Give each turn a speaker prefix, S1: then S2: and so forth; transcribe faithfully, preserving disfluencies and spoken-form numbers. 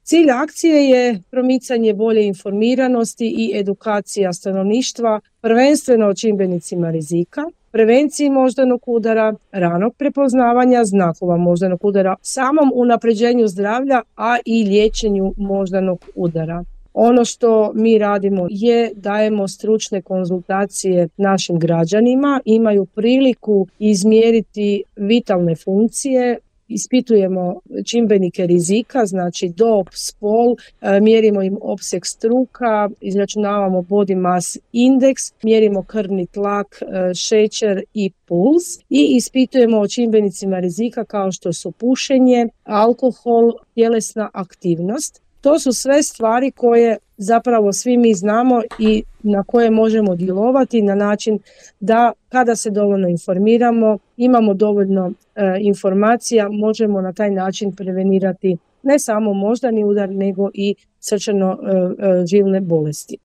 S1: Cilj akcije je promicanje bolje informiranosti i edukacija stanovništva, prvenstveno o čimbenicima rizika, prevenciji moždanog udara, ranog prepoznavanja znakova moždanog udara, samom unapređenju zdravlja, a i liječenju moždanog udara. Ono što mi radimo je dajemo stručne konzultacije našim građanima, imaju priliku izmjeriti vitalne funkcije, ispitujemo čimbenike rizika, znači dob, spol, mjerimo im opseg struka, izračunavamo body mass index, mjerimo krvni tlak, šećer i puls i ispitujemo o čimbenicima rizika kao što su pušenje, alkohol, tjelesna aktivnost. To su sve stvari koje zapravo svi mi znamo i na koje možemo djelovati na način da kada se dovoljno informiramo, imamo dovoljno e, informacija, možemo na taj način prevenirati ne samo moždani udar nego i srčano-žilne bolesti.